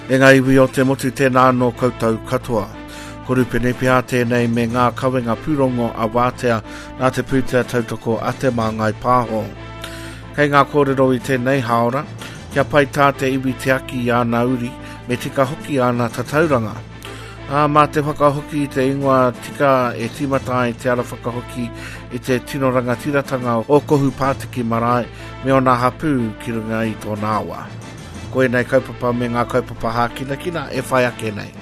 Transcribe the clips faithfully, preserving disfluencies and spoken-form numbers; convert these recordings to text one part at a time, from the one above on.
E ngā iwi o te motu tēnā anō koutou katoa. Ko Rupene Pia tēnei me ngā kawenga pūrongo a Wātea nā te pūtea tautoko a Te Māngai Pāho. Kei ngā kōrero i tēnei hāora, kia pai tā te iwi tiaki i āna uri, me tika hoki āna tatauranga. Ā, mā te whakahoki i te ingoa tika e tīmata ai te ara whakahoki i te tino rangatiratanga o Kohu Pātiki Marae me ōna hapū ki runga i tōna awa. Ko ēnei kaupapa me ngā kaupapa hākinakina e whai ake nei.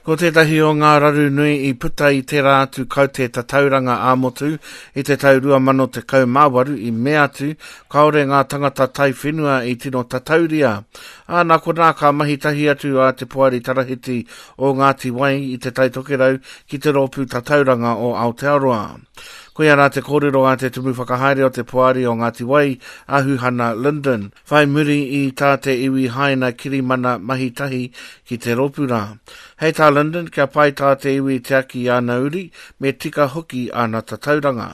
Ko tētahi o ngā raru nui i puta i tērā atu kaute tatauranga ā-motu i te tau rua mano tekau mā waru i mea atu kāore ngā tangata taiwhenua i tino tatauria. Ā, nā konā ka mahi tahi atu a Te Poari Tarahiti o Ngāti Wai i Te Tai Tokerau ki te Rōpū Tatauranga o Aotearoa. Koia rā te kōrero a te Tumu Whakahaere o te Poari o Ngāti Wai, a Huhana Lyndon, whai muri i tā te iwi haina kirimana mahi tahi ki te rōpū rā. Hei tā Lyndon, kia pai tā te iwi tiaki i āna uri, me tika hoki āna tatauranga.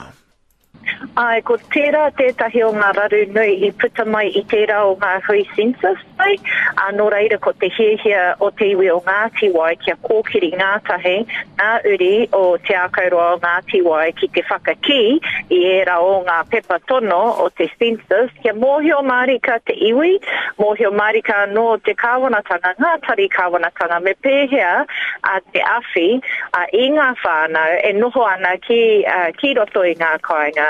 Āe, ko tērā tētahi o ngā raru nui i puta mai i tērā o ngā hui census nei, ā, nō reira ko te hiahia o te iwi o Ngāti Wai kia kōkiri ngātahi ngā uri o Te Ākauroa o Ngāti Wai ki te whakakī i ērā o ngā pepa tono o te census kia mōhio mārika te iwi, mōhio mārika anō te kāwanatanga, ngā tari kāwanatanga me pēhea a te awhi i ngā whānau e noho ana ki, ki roto i ngā kāinga,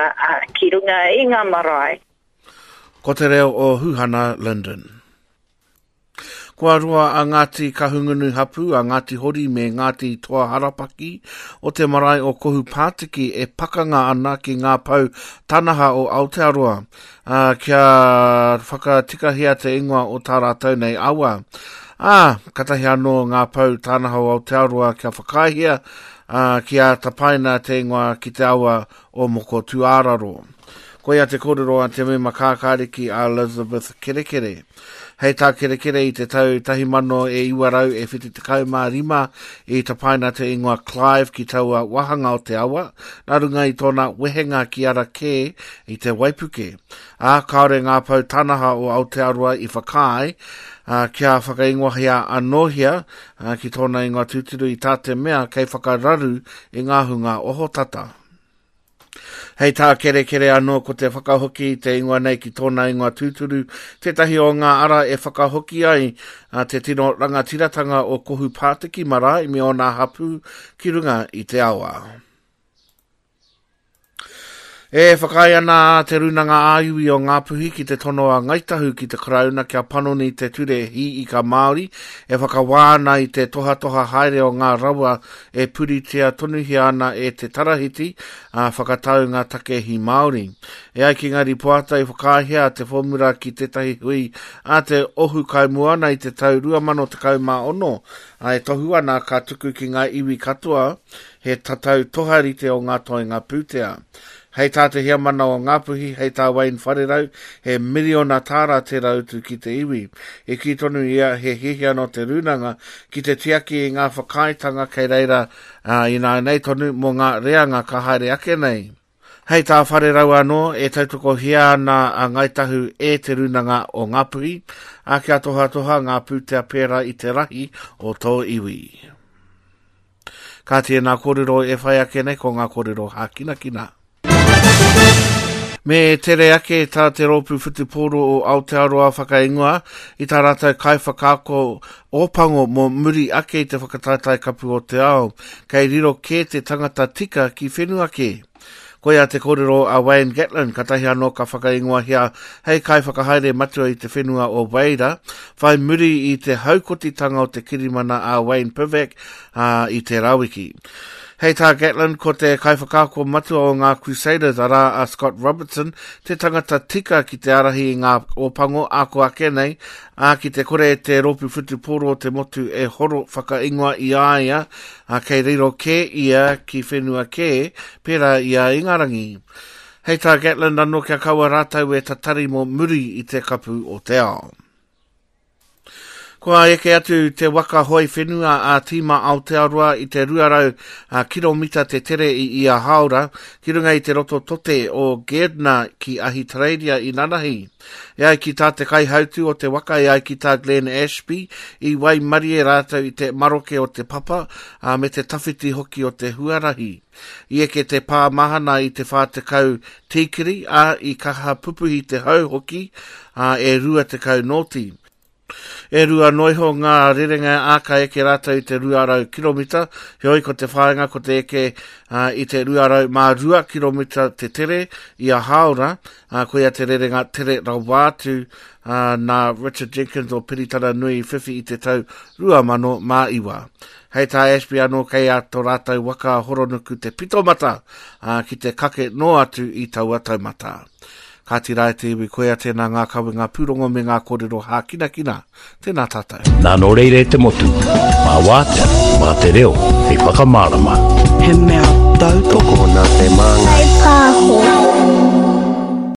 ki runga i ngā marae. Ko te reo o Huhana Lyndon. Kua roa a Ngāti Kahungunu hapū, a Ngāti Hori me Ngāti Toa Harapaki o te marae o Kohu Pātiki e pakanga ana ki ngā pou tanaha o Aotearoa, ā, kia whakatikahia te ingoa o tā rātou nei awa. Ā, katahi anō ngā pou tanaha o Aotearoa kia whakaaehia, ā, kia tapaina te ingoa ki te awa o Moko Tūāraro. Koia te kōrero a te mema kākāriki a Elizabeth Kerekere. Hei tā Kerekere i te tau tahi mano e iwa rau e whitu tekau mā rima i tapaina te ingoa Clive ki taua wāhanga o te awa, nā runga i tōna wehenga ki ara kē i te waipuke. Ā, kāore ngā pou tanaha o Aotearoa i whakaae, ā, kia whakaingoahia anōhia, ā, ki tōna ingoa tūturu i tā te mea kei whakararu i ngā hunga ohotata. Hei tā Kerekere anō ko te whakahoki i te ingoa nei ki tōna ingoa tūturu, tētahi o ngā ara e whakahoki ai a te tino rangatiratanga o Kohu Pātiki marae me ōna hapū ki runga i te awa. E whakaae ana a Te Rūnanga ā-Iwi o Ngāpuhi ki te tono a Ngāi Tahu ki te Karauna kia panoni te ture hī ika Māori e whakawā ana i te tohatoha haere o ngā rawa e puritia tonuhia ana e te Tarahiti a whakatau ngā take hī Māori. E ai ki ngā ripoata i whakaaehia te fōmura ki tētahi hui a te Ohu Kaimoana i te tau rua mano tekau mā ono, a e tohu ana ka tuku ki ngā iwi katoa he tatau toharite o ngā toenga pūtea. Hei tā te heamana o Ngāpuhi, hei tā Wayne Wharerau, he miriona tāra te rautu ki te iwi. I kī tonu ia he hiahia nō te rūnanga ki te tiaki i ngā whakaaetanga kei reira, ā, ināianei tonu mō ngā reanga ka haere ake nei. Hei tā Wharerau anō, e tautokohia ana a Ngāi Tahu e te rūnanga o Ngāpuhi, ā, kia tohatoha ngā pūtea pērā i te rahi o tō iwi. Ka tēnā kōrero e whai ake nei ko ngā kōrero hākinakina. Me tere ake tā te rōpū whutupōro o Aotearoa whakaingoa i tā rātou kaiwhakaako ōpango mō muri ake i te whakataetae kapu o te ao, kei riro kē te tangata tika ki whenua kē. Koia te kōrero a Wayne Gatlin, katahi anō ka whakaingoahia hei kaiwhakahaere matua i te whenua o Weira, whai muri i te haukotitanga o te kirimana a Wayne Pivac, ā, i te Rawiki. Hei tā Gatlin, ko te kaiwhakaako matua o ngā Crusaders, arā a Scott Robertson, te tangata tika ki te ārahi i ngā ōpango ako ake nei, ā, ki te kore te rōpū whutupōro o te motu e horo whakaingoa i a ia, ā, kei riro kē ia ki whenua kē, pērā i a Ingarangi. Hei tā Gatlin anō kia kaua rātou e tatari mō muri i te kapu o te ao. Kua eke atu te waka hoi whenua a Tīma Aotearoa i te rua rau kiromita te tere i ia hāora ki runga i te roto tote o Gairdner ki Ahitereiria i nanahi. E ai ki tā te kaihautu o te waka, e ai ki tā Glenn Ashby, i waimarie rātou i te maroke o te papa a, me te tawhiti hoki o te huarahi. I eke te pā mahana i te whā tekau tīkiri, a i kaha pupuhi te hau hoki a, e rua tekau nōti. E rua noiho ngā rerenga a ka eke rātou i te rua rau kiromita, heoi ko te whāinga ko te eke uh, i te rua rau mā rua kiromita te tere i a hāora, uh, koia te rerenga tere rawa atu uh, nā Richard Jenkins o Piritana Nui whiwhi i te tau rua mano mā iwa. Hei tā Ashby anō kei a tō rātou waka horonuku te pitomata uh, ki te kake no atu i taua taumata. Ka tira e te iwi, koia tēnā ngā kawenga pūrongo me ngā kōrero hākinakina. Tēnā tātou. Nā nō reira e te motu, mā wātea, mā te reo, hei whakamārama. He mea tautoko. Tokona te māngai. Pāho.